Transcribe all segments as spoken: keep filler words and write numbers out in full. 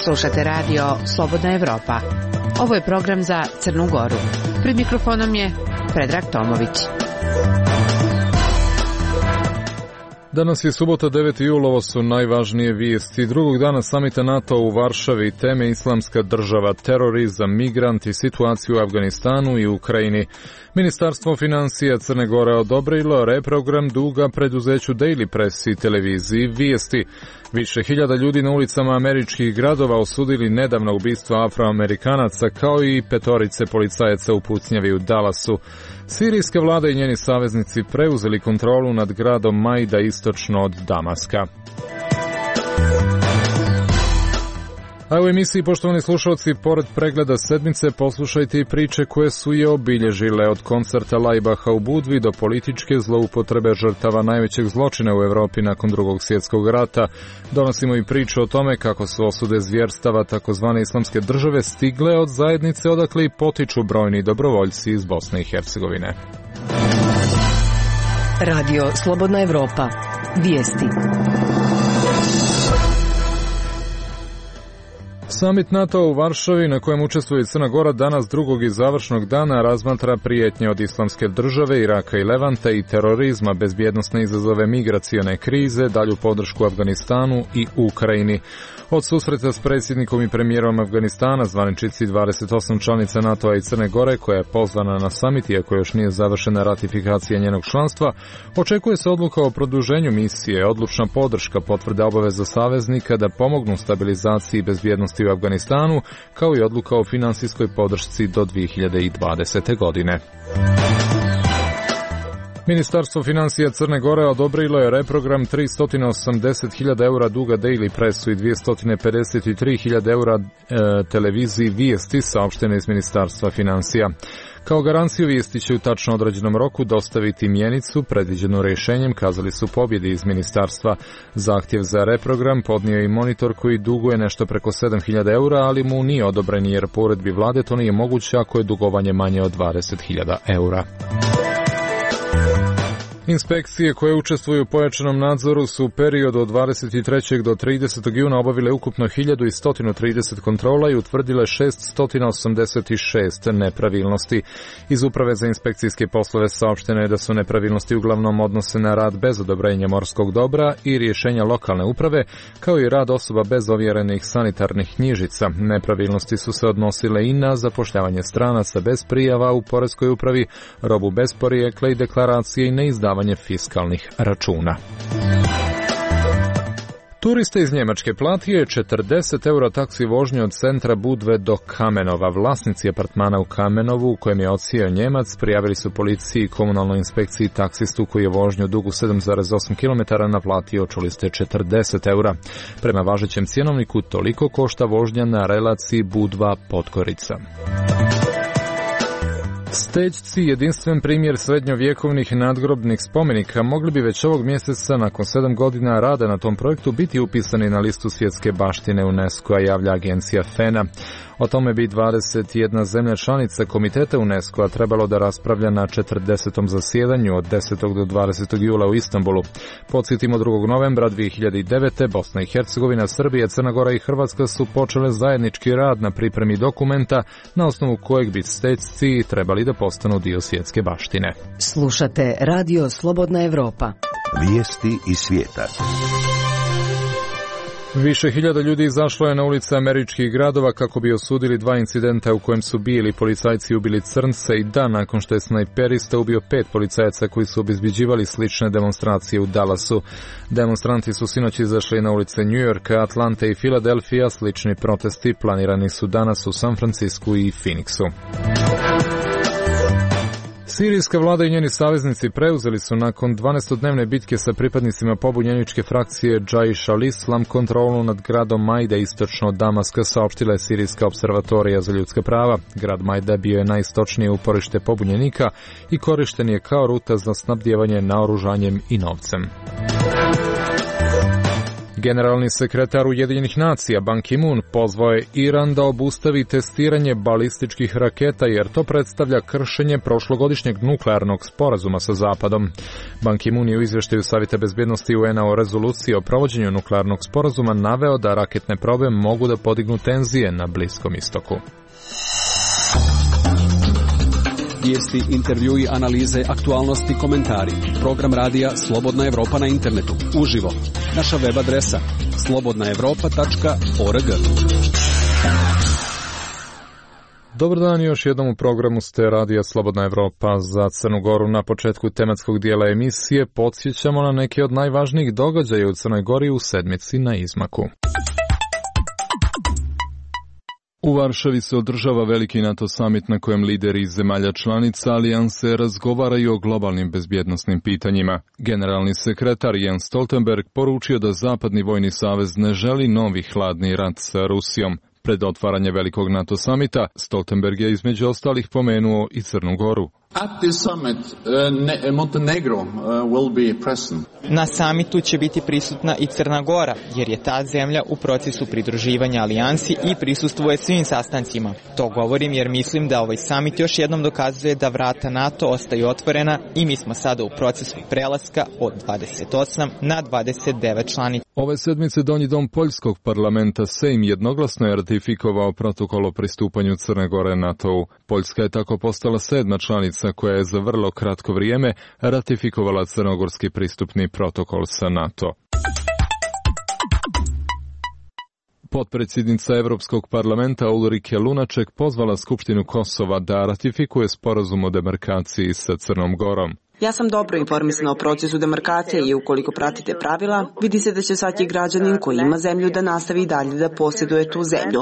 Slušate radio Slobodna Evropa. Ovo je program za Crnu Goru. Pred mikrofonom je Predrag Tomović. Danas je subota, deveti jul, ovo su najvažnije vijesti. Drugog dana samita NATO u Varšavi, teme Islamska država, terorizam, migranti, situaciju u Afganistanu i Ukrajini. Ministarstvo financija Crne Gore odobrilo reprogram duga preduzeću Daily Press i televiziji Vijesti. Više hiljada ljudi na ulicama američkih gradova osudili nedavno ubistva Afroamerikanaca kao i petorice policajaca u pucnjavi u Dallasu. Sirijska vlada i njeni saveznici preuzeli kontrolu nad gradom Majda istočno od Damaska. A u emisiji, poštovani slušalci, pored pregleda sedmice poslušajte i priče koje su je obilježile, od koncerta Lajbaha u Budvi do političke zloupotrebe žrtava najvećeg zločina u Evropi nakon drugog svjetskog rata. Donosimo i priču o tome kako su osude zvjerstava takozvane Islamske države stigle od zajednice odakle i potiču brojni dobrovoljci iz Bosne i Hercegovine. Radio Slobodna Evropa. Vijesti. Samit NATO u Varšavi, na kojem učestvuje Crna Gora, danas drugog i završnog dana razmatra prijetnje od Islamske države, Iraka i Levanta i terorizma, bezbjednosne izazove migracione krize, dalju podršku Afganistanu i Ukrajini. Od susreta s predsjednikom i premijerom Afganistana, zvaničici dvadeset osam članica NATO-a i Crne Gore, koja je pozvana na samit, iako još nije završena ratifikacija njenog članstva, očekuje se odluka o produženju misije, odlučna podrška, potvrda obaveza saveznika da pomognu stabilizaciji i bezbjednosti u Afganistanu, kao i odluka o finansijskoj podršci do dvije hiljade dvadesete. godine. Ministarstvo financija Crne Gore odobrilo je reprogram tristo osamdeset hiljada eura duga Daily Pressu i dvjesto pedeset tri hiljade eura e, televiziji Vijesti, saopštene iz Ministarstva financija. Kao garanciju Vijesti će u tačno određenom roku dostaviti mjenicu predviđenu rješenjem, kazali su pobjedi iz ministarstva. Zahtjev za reprogram podnio i monitor koji duguje nešto preko sedam hiljada eura, ali mu nije odobren jer po uredbi vlade to nije moguće ako je dugovanje manje od dvadeset hiljada eura. Inspekcije koje učestvuju u pojačanom nadzoru su u periodu od dvadeset trećeg do tridesetog juna obavile ukupno hiljadu sto trideset kontrola i utvrdile šesto osamdeset šest nepravilnosti. Iz Uprave za inspekcijske poslove saopšteno je da su nepravilnosti uglavnom odnose na rad bez odobrenja morskog dobra i rješenja lokalne uprave, kao i rad osoba bez ovjerenih sanitarnih knjižica. Nepravilnosti su se odnosile i na zapošljavanje stranaca bez prijava u poreskoj upravi, robu bez porijekla i deklaracije i neizdavanje fiskalnih računa. Turiste iz Njemačke platio je četrdeset eura taksi vožnje od centra Budve do Kamenova. Vlasnici apartmana u Kamenovu, u kojem je odsijeo Njemac, prijavili su policiji i komunalnoj inspekciji taksistu koji je vožnju dugu sedam zarez osam kilometara naplatio, čuli ste, četrdeset eura. Prema važećem cjenovniku toliko košta vožnja na relaciji Budva-Podgorica. Stećci, jedinstven primjer srednjovjekovnih nadgrobnih spomenika, mogli bi već ovog mjeseca, nakon sedam godina rada na tom projektu, biti upisani na listu svjetske baštine UNESCO-a, javlja agencija FENA. O tome bi dvadeset jedna zemlja članica komiteta UNESCO-a trebalo da raspravlja na četrdesetom zasjedanju od desetog do dvadesetog jula u Istanbulu. Podsjetimo, drugog novembra dvije hiljade devete. Bosna i Hercegovina, Srbija, Crna Gora i Hrvatska su počele zajednički rad na pripremi dokumenta na osnovu kojeg bi stećci trebali da postanu dio svjetske baštine. Slušate Radio Slobodna Evropa. Vijesti iz svijeta. Više hiljada ljudi izašlo je na ulice američkih gradova kako bi osudili dva incidenta u kojem su bili policajci ubili crnce i dan nakon što je snajperista ubio pet policajaca koji su obezbeđivali slične demonstracije u Dallasu. Demonstranti su sinoć izašli na ulice New Yorka, Atlante i Filadelfija. Slični protesti planirani su danas u San Francisku i Phoenixu. Sirijska vlada i njeni saveznici preuzeli su nakon dvanaestodnevne bitke sa pripadnicima pobunjeničke frakcije Džaiš al-Islam kontrolu nad gradom Majda istočno od Damaska, saopštila je Sirijska observatorija za ljudska prava. Grad Majda bio je najistočnije uporište pobunjenika i korišten je kao ruta za snabdijevanje naoružanjem i novcem. Generalni sekretar Ujedinjenih nacija Ban Ki-moon pozvao je Iran da obustavi testiranje balističkih raketa jer to predstavlja kršenje prošlogodišnjeg nuklearnog sporazuma sa Zapadom. Ban Ki-moon je u izvještaju Savjeta bezbjednosti U N-a o rezoluciji o provođenju nuklearnog sporazuma naveo da raketne probe mogu da podignu tenzije na Bliskom istoku. Vijesti, intervjui, analize, aktualnosti, komentari. Program radija Slobodna Evropa na internetu. Uživo. Naša web adresa slobodna evropa tačka org. Dobar dan, još jednom u programu ste radija Slobodna Evropa za Crnu Goru. Na početku tematskog dijela emisije podsjećamo na neke od najvažnijih događaja u Crnoj Gori u sedmici na izmaku. U Varšavi se održava veliki NATO summit na kojem lideri iz zemalja članica alijanse razgovaraju o globalnim bezbjednosnim pitanjima. Generalni sekretar Jens Stoltenberg poručio da Zapadni vojni savez ne želi novi hladni rat sa Rusijom. Pred otvaranje velikog NATO summita, Stoltenberg je između ostalih pomenuo i Crnu Goru. At this summit, uh, Montenegro uh, will be present. Na samitu će biti prisutna i Crna Gora, jer je ta zemlja u procesu pridruživanja alijansi i prisustvuje svim sastancima. To govorim jer mislim da ovaj samit još jednom dokazuje da vrata NATO ostaju otvorena i mi smo sada u procesu prelaska od dvadeset osam na dvadeset devet članica. Ove sedmice Donji dom Poljskog parlamenta Sejm jednoglasno je ratifikovao protokol o pristupanju Crne Gore NATO-u. Poljska je tako postala sedma članica koja je za vrlo kratko vrijeme ratifikovala crnogorski pristupni protokol sa NATO. Potpredsjednica Europskog parlamenta Ulrike Lunaček pozvala Skupštinu Kosova da ratifikuje sporazum o demarkaciji sa Crnom Gorom. Ja sam dobro informisana o procesu demarkacije i ukoliko pratite pravila, vidi se da će svaki građanin koji ima zemlju da nastavi dalje da posjeduje tu zemlju.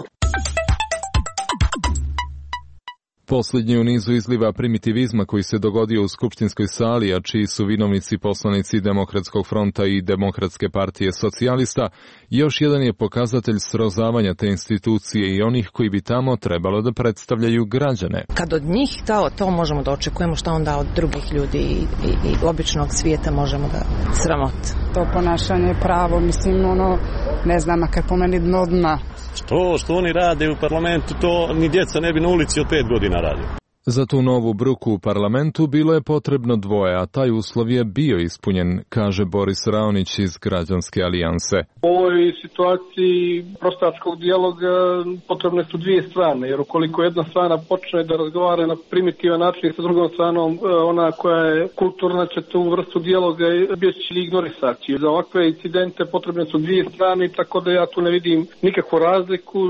Posljednji u nizu izliva primitivizma koji se dogodio u skupštinskoj sali, a čiji su vinovnici poslanici Demokratskog fronta i Demokratske partije socijalista, još jedan je pokazatelj srozavanja te institucije i onih koji bi tamo trebalo da predstavljaju građane. Kad od njih to, to možemo da očekujemo, šta onda od drugih ljudi i, i, i običnog svijeta možemo da sramot. To ponašanje je pravo, mislim, ono, ne znam, makar po meni dno dna. Što, što oni rade u parlamentu, to ni djeca ne bi na ulici od pet godina radio. Za tu novu bruku u parlamentu bilo je potrebno dvoje, a taj uslov je bio ispunjen, kaže Boris Raonić iz Građanske alijanse. U ovoj situaciji prostačkog dijaloga potrebne su dvije strane, jer ukoliko jedna strana počne da razgovara na primitivan način sa drugom stranom, ona koja je kulturna će tu vrstu dijaloga bjeći ignorisati. Za ovakve incidente potrebne su dvije strane, tako da ja tu ne vidim nikakvu razliku.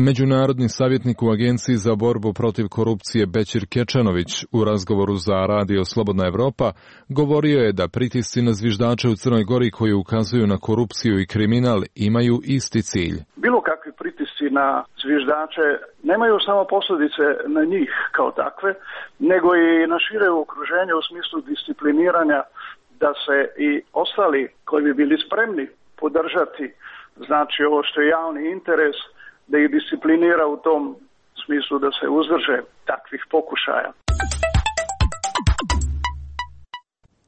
Međunarodni savjetnik u Agenciji za borbu protiv korupcije Bećir Kečanović u razgovoru za radio Slobodna Evropa govorio je da pritisci na zviždače u Crnoj Gori koji ukazuju na korupciju i kriminal imaju isti cilj. Bilo kakvi pritisci na zviždače nemaju samo posljedice na njih kao takve, nego i na šire okruženje u smislu discipliniranja da se i ostali koji bi bili spremni podržati, znači ovo što je javni interes, da ih disciplinira u tom smislu da se uzdrže takvih pokušaja.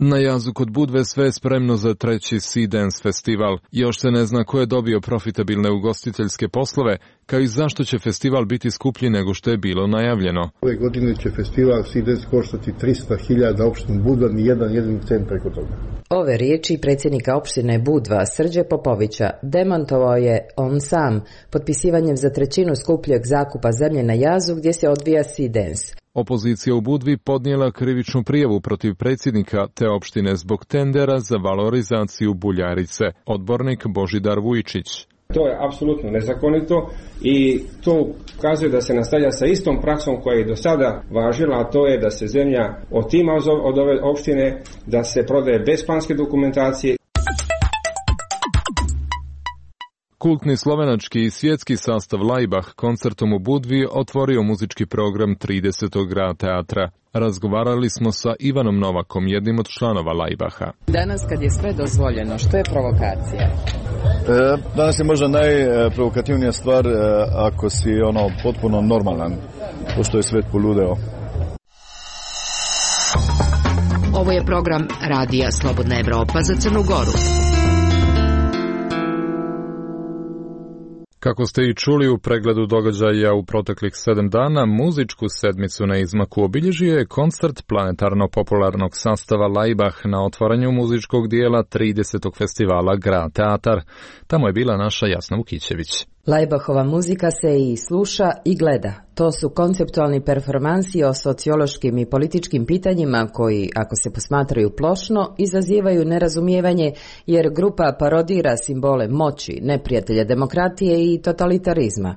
Na jazu kod Budve sve je spremno za treći Sea Dance festival. Još se ne zna ko je dobio profitabilne ugostiteljske poslove, kao i zašto će festival biti skuplji nego što je bilo najavljeno. Ove godine će festival Sea Dance koštati tristo hiljada opštinu Budva, ni jedan jedini cent preko toga. Ove riječi predsjednika opštine Budva Srđe Popovića demantovao je on sam potpisivanjem za trećinu skupljeg zakupa zemlje na jazu gdje se odvija Sea Dance. Opozicija u Budvi podnijela krivičnu prijavu protiv predsjednika te opštine zbog tendera za valorizaciju Buljarice. Odbornik Božidar Vujčić. To je apsolutno nezakonito i to ukazuje da se nastavlja sa istom praksom koja je do sada važila, a to je da se zemlja otima od ove opštine, da se prodaje bez planske dokumentacije. Kultni slovenački i svjetski sastav Laibach koncertom u Budvi otvorio muzički program tridesetog grad teatra. Razgovarali smo sa Ivanom Novakom, jednim od članova Laibacha. Danas kad je sve dozvoljeno, što je provokacija? E, danas je možda najprovokativnija stvar e, ako si ono potpuno normalan, pošto je svet poludeo. Ovo je program Radija Slobodna Evropa za Crnu Goru. Kako ste i čuli u pregledu događaja u proteklih sedam dana, muzičku sedmicu na izmaku obilježio je koncert planetarno-popularnog sastava Laibach na otvaranju muzičkog dijela tridesetog festivala Grad Teatar. Tamo je bila naša Jasna Vukićević. Laibachova muzika se i sluša i gleda. To su konceptualni performansi o sociološkim i političkim pitanjima koji, ako se posmatraju plošno, izazivaju nerazumijevanje jer grupa parodira simbole moći, neprijatelja demokratije i totalitarizma.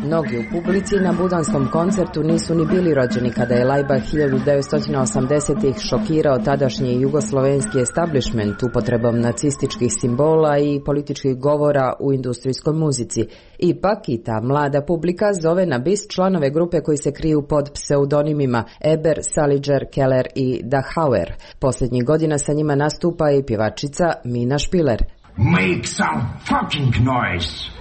Mnogi u publici na budanskom koncertu nisu ni bili rođeni kada je Laibach hiljadu devetsto osamdesetih šokirao tadašnji jugoslovenski establishment upotrebom nacističkih simbola i političkih govora u industrijskoj muzici. Ipak i ta mlada publika zove na bis članove grupe koji se kriju pod pseudonimima Eber, Saliger, Keller i Dachauer. Posljednjih godina sa njima nastupa i pjevačica Mina Špiler. Make some fucking noise!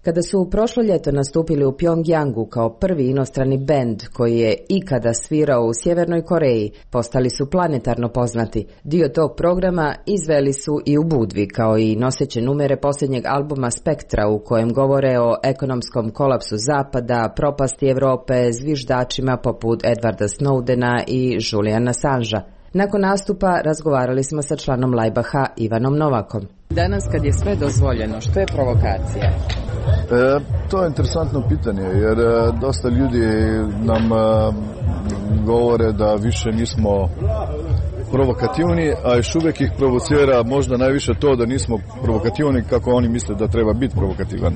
Kada su prošlo ljeto nastupili u Pjongjangu kao prvi inostrani bend koji je ikada svirao u Sjevernoj Koreji, postali su planetarno poznati. Dio tog programa izveli su i u Budvi, kao i noseće numere posljednjeg albuma Spektra u kojem govore o ekonomskom kolapsu Zapada, propasti Europe, zviždačima poput Edwarda Snowdena i Juliana Assangea. Nakon nastupa razgovarali smo sa članom Laibacha Ivanom Novakom. Danas kad je sve dozvoljeno, što je provokacija? E, to je interesantno pitanje jer e, dosta ljudi nam e, govore da više nismo provokativni, a još uvijek ih provocira možda najviše to da nismo provokativni kako oni misle da treba biti provokativan.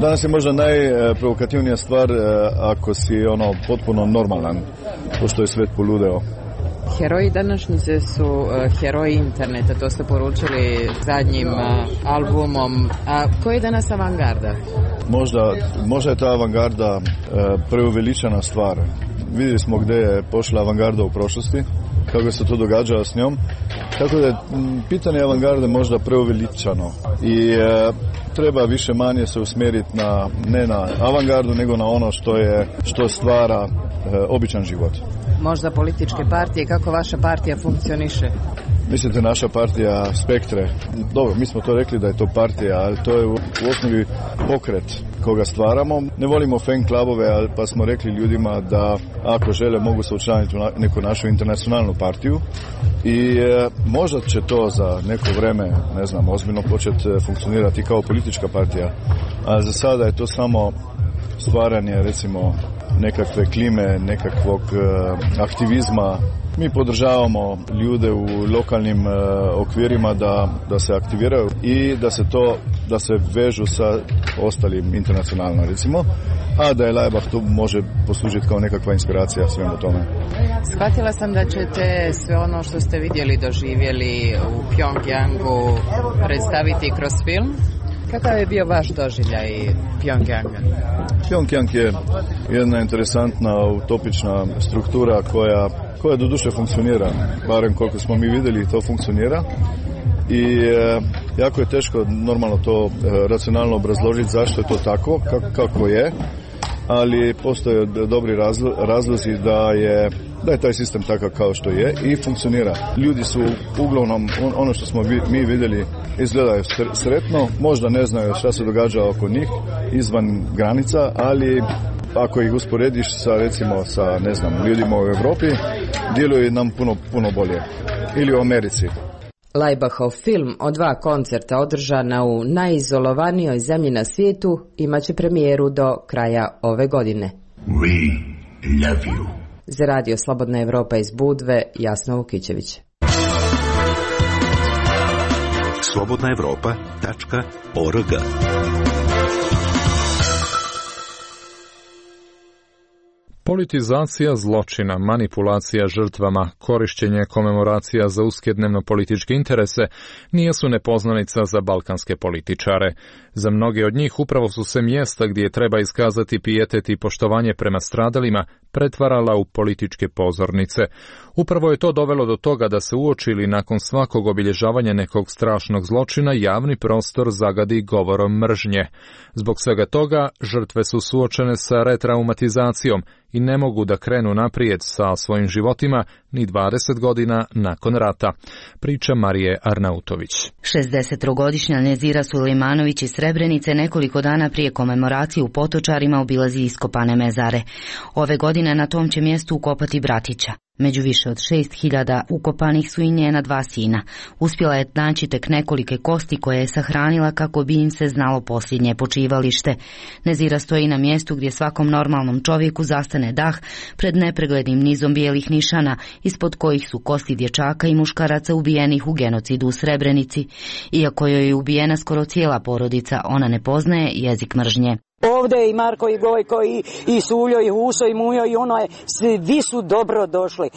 Danas je možda najprovokativnija stvar e, ako si ono potpuno normalan, pošto je svet poludeo. Heroji današnjice su uh, heroji interneta, to ste poručili zadnjim uh, albumom. A koji je danas avangarda? Možda, možda je ta avangarda uh, preuveličana stvar. Vidjeli smo gdje je pošla avangarda u prošlosti, kako se to događa s njom. Tako da je pitanje avangarde možda preuveličano i uh, treba više manje se usmjeriti na, ne na avangardu, nego na ono što je, što stvara uh, običan život. Možda političke partije, kako vaša partija funkcioniše? Mislite naša partija Spektre? Dobro, mi smo to rekli da je to partija, ali to je u, u osnovi pokret koga stvaramo. Ne volimo fan klubove, pa smo rekli ljudima da ako žele mogu se učlaniti u neku našu internacionalnu partiju i e, možda će to za neko vreme, ne znam, ozbiljno početi funkcionirati kao politička partija, a za sada je to samo stvaranje, recimo, nekakve klime, nekakvog uh, aktivizma. Mi podržavamo ljude u lokalnim uh, okvirima da, da se aktiviraju i da se to, da se vežu sa ostalim internacionalno, recimo, a da je Laibach tu može poslužiti kao nekakva inspiracija svemu tome. Shvatila sam da ćete sve ono što ste vidjeli, doživjeli u Pjongjangu predstaviti kroz film. Kakav je bio vaš doživljaj Pjongjanga? Pjongjang je jedna interesantna, utopična struktura koja, koja do duše funkcionira, barem koliko smo mi vidjeli to funkcionira i e, jako je teško normalno to e, racionalno obrazložiti zašto je to tako, kako, kako je, ali postoje dobri razlo, razlozi da je da je taj sistem takav kao što je i funkcionira. Ljudi su uglavnom, ono što smo vi, mi vidjeli, izgledaju sretno, možda ne znaju šta se događa oko njih izvan granica, ali ako ih usporediš sa, recimo, sa, ne znam, ljudima u Europi, djeluju nam puno, puno bolje. Ili u Americi. Laibachov film o dva koncerta održana u najizolovanijoj zemlji na svijetu imaće premijeru do kraja ove godine. We love you. Za Radio Slobodna Evropa iz Budve, Jasna Vukićević. slobodna evropa tačka org Politizacija zločina, manipulacija žrtvama, korišćenje komemoracija za uske dnevno-političke interese nisu nepoznanica za balkanske političare. Za mnoge od njih upravo su se mjesta gdje treba iskazati pijetet i poštovanje prema stradalima pretvarala u političke pozornice. Upravo je to dovelo do toga da se uoči ili nakon svakog obilježavanja nekog strašnog zločina javni prostor zagadi govorom mržnje. Zbog svega toga žrtve su suočene sa retraumatizacijom i ne mogu da krenu naprijed sa svojim životima ni dvadeset godina nakon rata. Priča Marije Arnautović. šezdesettrogodišnja Nezira Sulejmanović iz Srebrenice nekoliko dana prije komemoracije u Potočarima obilazi iskopane mezare. Ove godine na tom će mjestu ukopati bratića. Među više od šest hiljada ukopanih su i njena dva sina. Uspjela je naći tek nekolike kosti koje je sahranila kako bi im se znalo posljednje počivalište. Nezira stoji na mjestu gdje svakom normalnom čovjeku zastane dah pred nepreglednim nizom bijelih nišana, ispod kojih su kosti dječaka i muškaraca ubijenih u genocidu u Srebrenici. Iako joj je ubijena skoro cijela porodica, ona ne poznaje jezik mržnje. Ovdje je i Marko i Gojko i, i Suljo i Huso i Mujo i ono je, svi su dobro došli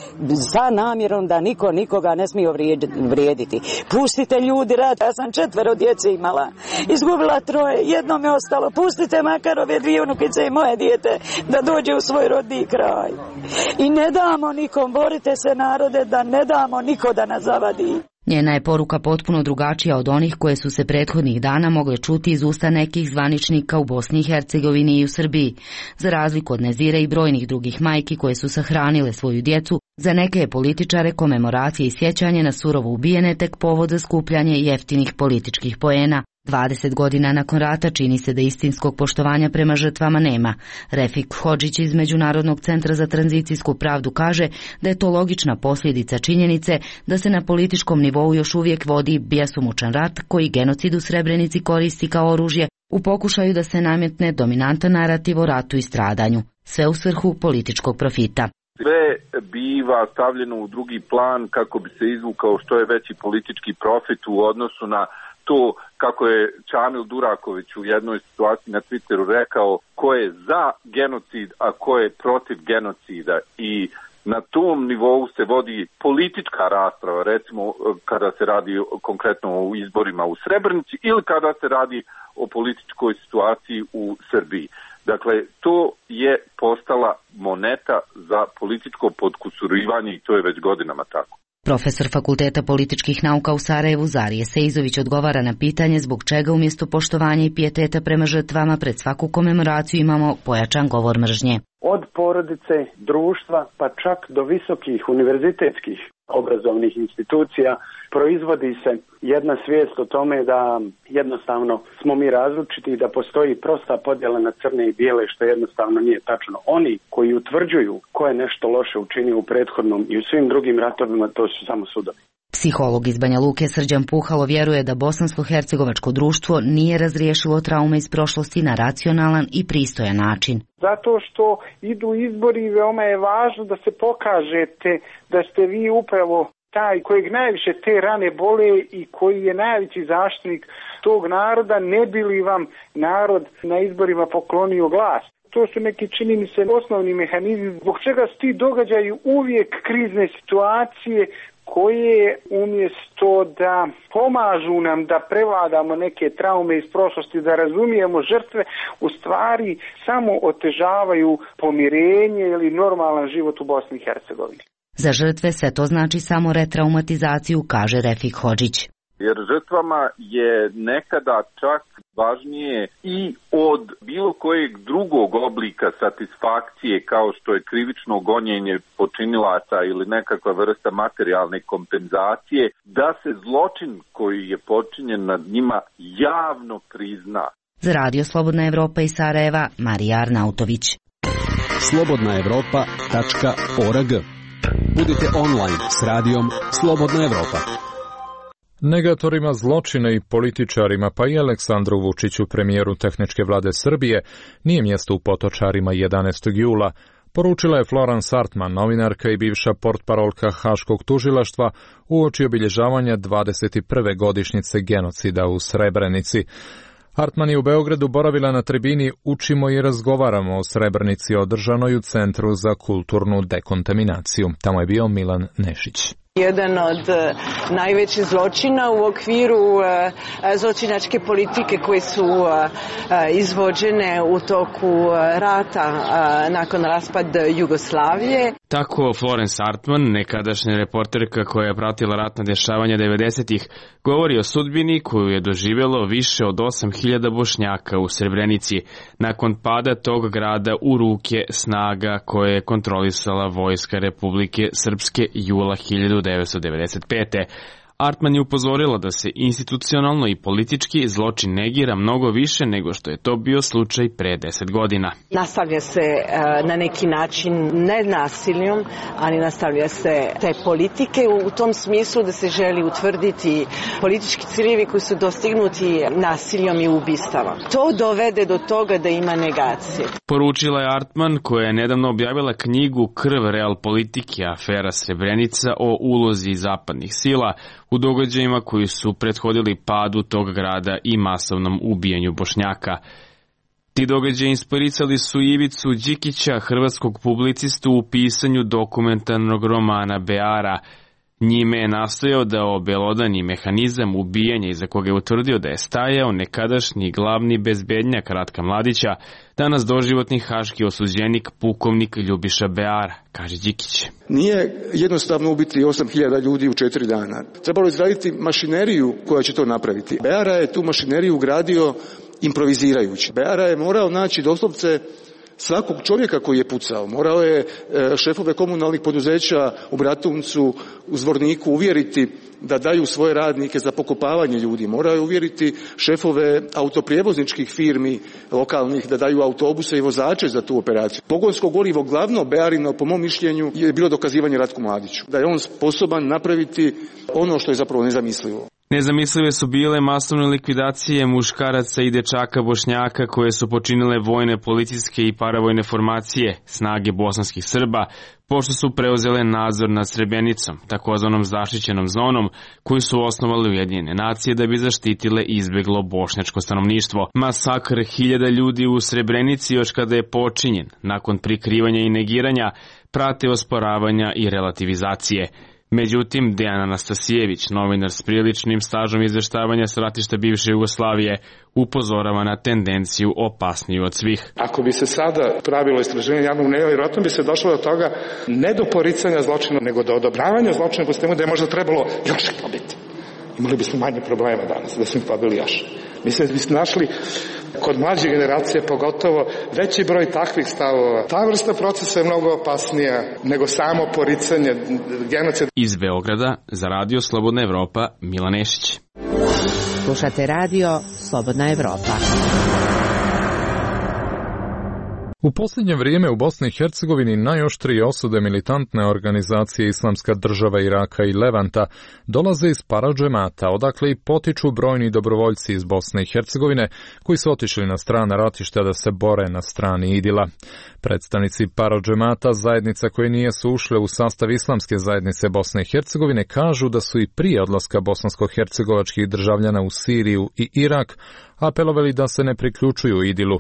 sa namjerom da niko nikoga ne smije vrijediti. Pustite ljudi rad, ja sam četvero djece imala, izgubila troje, jedno mi je ostalo, pustite makar ove dvije unukice i moje dijete da dođe u svoj rodni kraj. I ne damo nikom, borite se narode da ne damo niko da nas zavadi. Njena je poruka potpuno drugačija od onih koje su se prethodnih dana mogle čuti iz usta nekih zvaničnika u Bosni i Hercegovini i u Srbiji. Za razliku od Nezire i brojnih drugih majki koje su sahranile svoju djecu, za neke je političare komemoracije i sjećanje na surovo ubijene tek povod za skupljanje jeftinih političkih poena. dvadeset godina nakon rata čini se da istinskog poštovanja prema žrtvama nema. Refik Hodžić iz Međunarodnog centra za tranzicijsku pravdu kaže da je to logična posljedica činjenice da se na političkom nivou još uvijek vodi bjesomučan rat koji genocid u Srebrenici koristi kao oružje u pokušaju da se nametne dominantan narativ o ratu i stradanju, sve u svrhu političkog profita. Sve biva stavljeno u drugi plan kako bi se izvukao što je veći politički profit u odnosu na to kako je Čamil Duraković u jednoj situaciji na Twitteru rekao ko je za genocid, a ko je protiv genocida, i na tom nivou se vodi politička rasprava, recimo kada se radi konkretno o izborima u Srebrenici ili kada se radi o političkoj situaciji u Srbiji. Dakle, to je postala moneta za političko podkusurivanje i to je već godinama tako. Profesor Fakulteta političkih nauka u Sarajevu Zarije Seizović odgovara na pitanje zbog čega umjesto poštovanja i pijeteta prema žrtvama pred svaku komemoraciju imamo pojačan govor mržnje. Od porodice, društva, pa čak do visokih univerzitetskih obrazovnih institucija proizvodi se jedna svijest o tome da jednostavno smo mi različiti i da postoji prosta podjela na crne i bijele, što jednostavno nije tačno. Oni koji utvrđuju ko je nešto loše učinio u prethodnom i u svim drugim ratovima, to su samo sudovi. Psiholog iz Banja Luke Srđan Puhalo vjeruje da bosansko-hercegovačko društvo nije razriješilo traume iz prošlosti na racionalan i pristojan način. Zato što idu izbori i veoma je važno da se pokažete da ste vi upravo taj kojeg najviše te rane bole i koji je najveći zaštitnik tog naroda, ne bi li vam narod na izborima poklonio glas. To su neki, čini mi se, osnovni mehanizmi zbog čega su ti događaju uvijek krizne situacije koje umjesto da pomažu nam da prevladamo neke traume iz prošlosti, da razumijemo žrtve, u stvari samo otežavaju pomirenje ili normalan život u Bosni i Hercegovini. Za žrtve sve to znači samo retraumatizaciju, kaže Refik Hodžić. Jer žrtvama je nekada čak važnije i od bilo kojeg drugog oblika satisfakcije kao što je krivično gonjenje počinilaca ili nekakva vrsta materijalne kompenzacije, da se zločin koji je počinjen nad njima javno prizna. Za Radio Slobodna Evropa iz Sarajeva, Marija Arnautović. slobodna evropa tačka org. Budite online s radijom Slobodna Evropa. Negatorima zločina i političarima, pa i Aleksandru Vučiću, premijeru tehničke vlade Srbije, nije mjesto u Potočarima jedanaestog jula, poručila je Florence Artman, novinarka i bivša portparolka Haškog tužilaštva, uoči obilježavanja dvadeset prve godišnjice genocida u Srebrenici. Hartman je u Beogradu boravila na tribini Učimo i razgovaramo o Srebrenici održanoj u Centru za kulturnu dekontaminaciju. Tamo je bio Milan Nešić. Jedan od najvećih zločina u okviru zločinačke politike koje su izvođene u toku rata nakon raspada Jugoslavije. Tako Florence Hartman, nekadašnja reporterka koja je pratila ratna dešavanja devedesetih, govori o sudbini koju je doživjelo više od osam hiljada Bošnjaka u Srebrenici nakon pada tog grada u ruke snaga koje je kontrolisala Vojska Republike Srpske jula hiljadu devetsto devedeset pete. Hartman je upozorila da se institucionalno i politički zločin negira mnogo više nego što je to bio slučaj pre deset godina. Nastavlja se na neki način ne nasiljom, ali nastavlja se te politike u tom smislu da se želi utvrditi politički ciljevi koji su dostignuti nasiljom i ubistava. To dovede do toga da ima negacije. Poručila je Hartman, koja je nedavno objavila knjigu Krv real politike, afera Srebrenica o ulozi zapadnih sila u događajima koji su prethodili padu tog grada i masovnom ubijanju Bošnjaka. Ti događaji inspirisali su Ivicu Đikića, hrvatskog publicistu, u pisanju dokumentarnog romana Beara. Njime je nastojao da obelodani mehanizam ubijanja iza koga je utvrdio da je stajao nekadašnji glavni bezbednjak Ratka Mladića, danas doživotni haški osuđenik pukovnik Ljubiša Beara, kaže Đikić. Nije jednostavno ubiti osam hiljada ljudi u četiri dana. Trebalo je izraditi mašineriju koja će to napraviti. Beara je tu mašineriju ugradio improvizirajući. Beara je morao naći doslovce svakog čovjeka koji je pucao. Morao je šefove komunalnih poduzeća u Bratuncu, u Zvorniku uvjeriti da daju svoje radnike za pokopavanje ljudi. Morao je uvjeriti šefove autoprijevozničkih firmi lokalnih da daju autobuse i vozače za tu operaciju. Pogonsko gorivo glavno Bearino, po mom mišljenju, je bilo dokazivanje Ratku Mladiću. Da je on sposoban napraviti ono što je zapravo nezamislivo. Nezamislive su bile masovne likvidacije muškaraca i dečaka Bošnjaka koje su počinile vojne, policijske i paravojne formacije, snage bosanskih Srba, pošto su preuzele nadzor nad Srebrenicom, takozvanom zaštićenom zonom, koju su osnovali Ujedinjene nacije da bi zaštitile izbeglo bošnjačko stanovništvo. Masakr hiljada ljudi u Srebrenici još kada je počinjen, nakon prikrivanja i negiranja, prate osporavanja i relativizacije. Međutim, Dejan Anastasijević, novinar s priličnim stažom izveštavanja s ratišta bivše Jugoslavije, upozorava na tendenciju opasniju od svih. Ako bi se sada pravilo istraživanje javnog mnjenja, vjerojatno bi se došlo do toga ne do poricanja zločina, nego do odobravanja zločina, po sistemu da je možda trebalo još pobiti. Imali bismo manje problema danas, da smo ih pobili još. Mislim da bismo našli kod mlađe generacije pogotovo veći broj takvih stavova. Ta vrsta procesa je mnogo opasnija nego samo poricanje genocida. Iz Beograda za Radio Slobodna Evropa, Milan Nešić. Slušate Radio Slobodna Evropa. U posljednje vrijeme u Bosni i Hercegovini najoštrije osude militantne organizacije Islamska država Iraka i Levanta dolaze iz paradžemata, odakle i potiču brojni dobrovoljci iz Bosne i Hercegovine koji su otišli na strana ratišta da se bore na strani Idila. Predstavnici paradžemata, zajednica koje nisu ušle u sastav Islamske zajednice Bosne i Hercegovine, kažu da su i prije odlaska bosansko-hercegovačkih državljana u Siriju i Irak apelovali da se ne priključuju Idilu.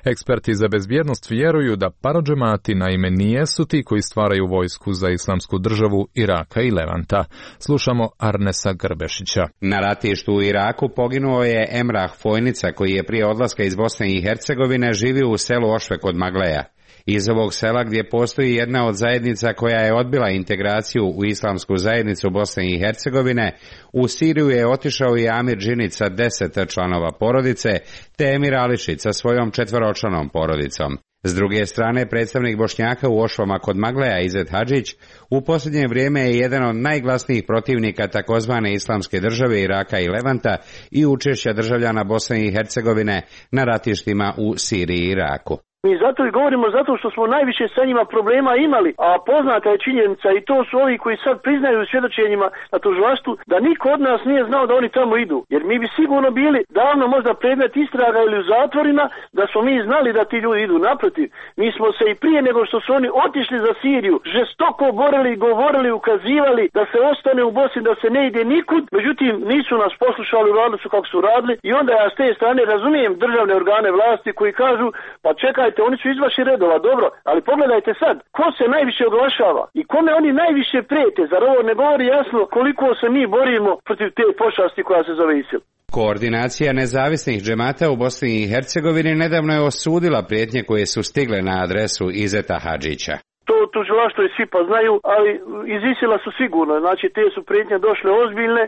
Eksperti za bezbjednost vjeruju da paradžemati naime nijesu ti koji stvaraju vojsku za Islamsku državu Iraka i Levanta. Slušamo Arnesa Grbešića. Na ratištu u Iraku poginuo je Emrah Fojnica, koji je prije odlaska iz Bosne i Hercegovine živio u selu Ošve kod Magleja. Iz ovog sela, gdje postoji jedna od zajednica koja je odbila integraciju u Islamsku zajednicu Bosne i Hercegovine, u Siriju je otišao i Amir Džinić sa deset članova porodice, te Emir Ališić sa svojom četvoročlanom porodicom. S druge strane, predstavnik Bošnjaka u Ošvama kod Magleja, Izet Hadžić, u posljednje vrijeme je jedan od najglasnijih protivnika takozvane Islamske države Iraka i Levanta i učešća državljana Bosne i Hercegovine na ratištima u Siriji i Iraku. Mi zato i govorimo zato što smo najviše sa njima problema imali, a poznata je činjenica i to su ovi koji sad priznaju svjedočenjima na tužilaštvu da niko od nas nije znao da oni tamo idu. Jer mi bi sigurno bili davno možda predmet istraga ili u zatvorima da smo mi znali da ti ljudi idu. Naprotiv, mi smo se i prije nego što su oni otišli za Siriju žestoko borili i govorili, ukazivali da se ostane u Bosni, da se ne ide nikud. Međutim, nisu nas poslušali, uradili su kako su radili i onda ja s te strane razumijem državne organe vlasti koji kažu pa čekajte, oni su iz vaših redova, dobro, ali pogledajte sad, ko se najviše oglašava i kome oni najviše prijete, zar ovo ne govori jasno koliko se mi borimo protiv te pošasti koja se zove ISIL? Koordinacija nezavisnih džemata u Bosni i Hercegovini nedavno je osudila prijetnje koje su stigle na adresu Izeta Hadžića. To tužilaštvo i svi pa znaju, ali iz ISIL-a su sigurno, znači te su prijetnje došle ozbiljne,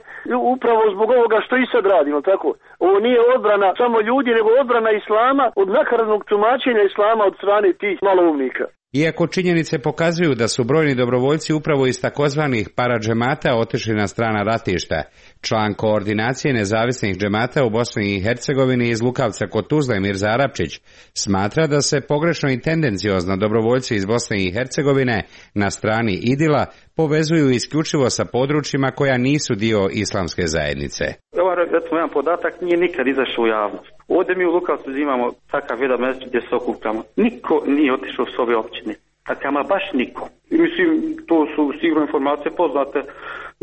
upravo zbog ovoga što i sad radimo, tako? Ovo nije odbrana samo ljudi, nego odbrana islama od nakaradnog tumačenja islama od strane tih maloumnika. Iako činjenice pokazuju da su brojni dobrovoljci upravo iz takozvanih paradžemata otišli na strana ratišta, član koordinacije nezavisnih džemata u Bosni i Hercegovini iz Lukavca kod Tuzle Mirza Arapčić smatra da se pogrešno i tendenciozno dobrovoljci iz Bosne i Hercegovine na strani Idila povezuju isključivo sa područjima koja nisu dio islamske zajednice. Evo, recimo, jedan podatak nije nikad izašao u javnost. Ovdje mi u Lukavcu imamo takav jedan mjesec gdje se okupljamo. Niko nije otišao s ove općine. Dakle, ama baš niko. I mislim, to su sigurno informacije poznate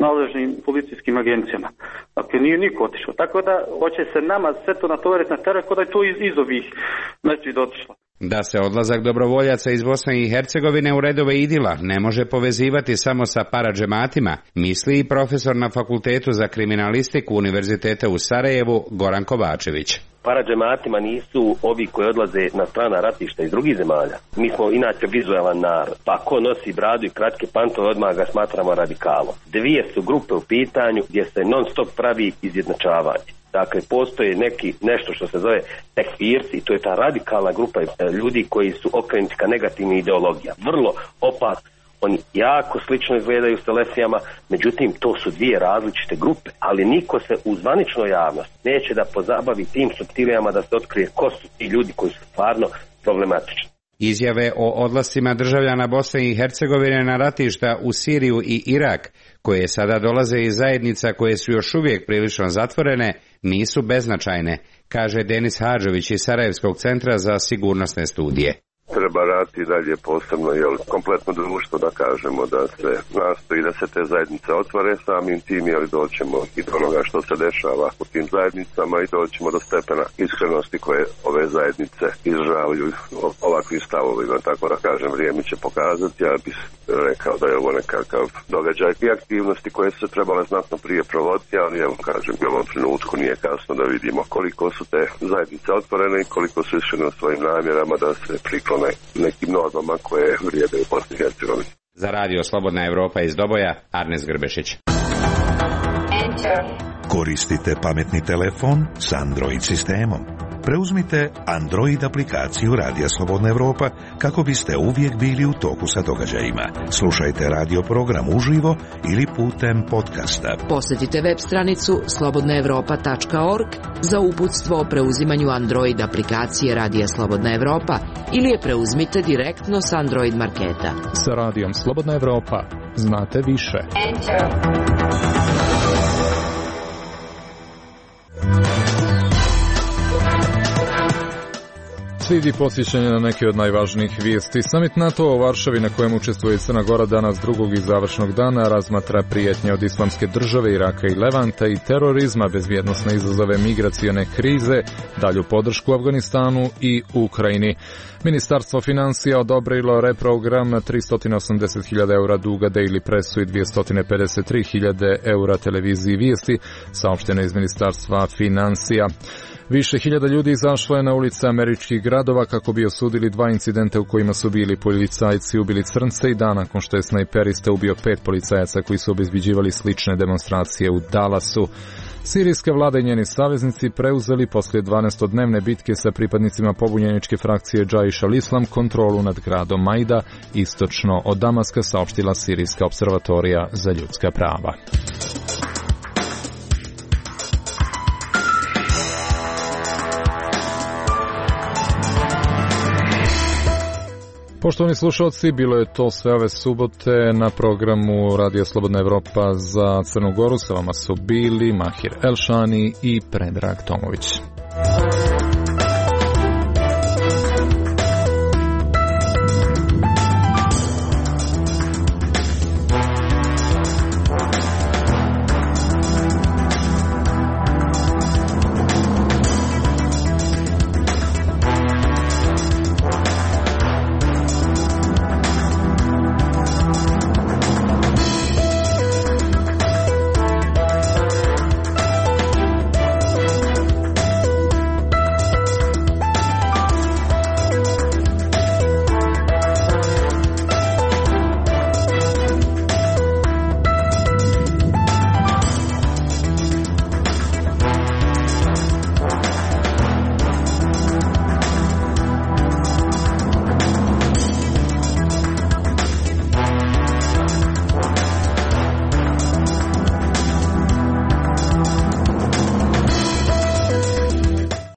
nadležnim policijskim agencijama. Dakle, nije niko otišao. Tako da, hoće se nama sve to natovariti na teren, kod da je to iz, iz ovih mjeseci otišlo. Da se odlazak dobrovoljaca iz Bosne i Hercegovine u redove Idila ne može povezivati samo sa paradžematima, misli i profesor na Fakultetu za kriminalistiku Univerziteta u Sarajevu Goran Kovačević. Paradžematima nisu ovi koji odlaze na strana ratišta iz drugih zemalja. Mi smo inače vizualan narod, pa ko nosi bradu i kratke pantove odmah ga smatramo radikalom. Dvije su grupe u pitanju gdje se non stop pravi izjednačavanje. Dakle, postoje neki nešto što se zove tekfirci, to je ta radikalna grupa ljudi koji su okrenuti ka negativnim ideologijama. Vrlo opasno. Oni jako slično izgledaju s telefijama, međutim to su dvije različite grupe, ali niko se u zvaničnoj javnosti neće da pozabavi tim suptilijama da se otkrije ko su ti ljudi koji su stvarno problematični. Izjave o odlascima državljana Bosne i Hercegovine na ratišta u Siriju i Irak, koje sada dolaze iz zajednica koje su još uvijek prilično zatvorene, nisu beznačajne, kaže Denis Hadžović iz Sarajevskog centra za sigurnosne studije. Treba raditi dalje posebno, jel, kompletno društvo, da kažemo, da se nastoji da se te zajednice otvore, samim tim, jel, doćemo i do onoga što se dešava u tim zajednicama i doćemo do stepena iskrenosti koje ove zajednice izražavaju ovakvim stavovima, tako da kažem, vrijeme će pokazati. Ja bih rekao da je ovo nekakav događaj i aktivnosti koje su se trebale znatno prije provoditi, ali evo, kažem, u ovom trenutku nije kasno da vidimo koliko su te zajednice otvorene i koliko su iskrene u svojim namjerama da se priklone nekim normama koje vrijede u Bosni i Hercegovini. Za radio Slobodna Evropa iz Doboja, Arnes Grbešić. Koristite pametni telefon s Android sistemom. Preuzmite Android aplikaciju Radija Slobodna Evropa kako biste uvijek bili u toku sa događajima. Slušajte radio program uživo ili putem podcasta. Posjetite web stranicu slobodna evropa tačka org za uputstvo o preuzimanju Android aplikacije Radija Slobodna Evropa ili je preuzmite direktno s Android marketa. Sa Radijom Slobodna Evropa znate više. Slijedi podsjećanje na neke od najvažnijih vijesti. Summit NATO u Varšavi na kojem učestvuje Crna Gora danas drugog i završnog dana razmatra prijetnje od islamske države, Iraka i Levanta i terorizma, bezbjednosne izazove migracione krize, dalju podršku Afganistanu i Ukrajini. Ministarstvo financija odobrilo reprogram tristo osamdeset hiljada eura duga Daily Pressu i dvjesto pedeset tri hiljade eura televiziji Vijesti, saopšteno iz Ministarstva financija. Više hiljada ljudi izašlo je na ulice američkih gradova kako bi osudili dva incidenta u kojima su bili policajci ubili crnce i dan nakon što je snajperista ubio pet policajaca koji su obezbeđivali slične demonstracije u Dallasu. Sirijska vlada i njeni saveznici preuzeli poslije dvanaestodnevne bitke sa pripadnicima pobunjeničke frakcije Džaiš al-Islam kontrolu nad gradom Majda, istočno od Damaska, saopštila Sirijska observatorija za ljudska prava. Poštovani slušalci, bilo je to sve ove subote na programu Radija Slobodna Evropa za Crnu Goru. Sa vama su bili Mahir Elšani i Predrag Tomović.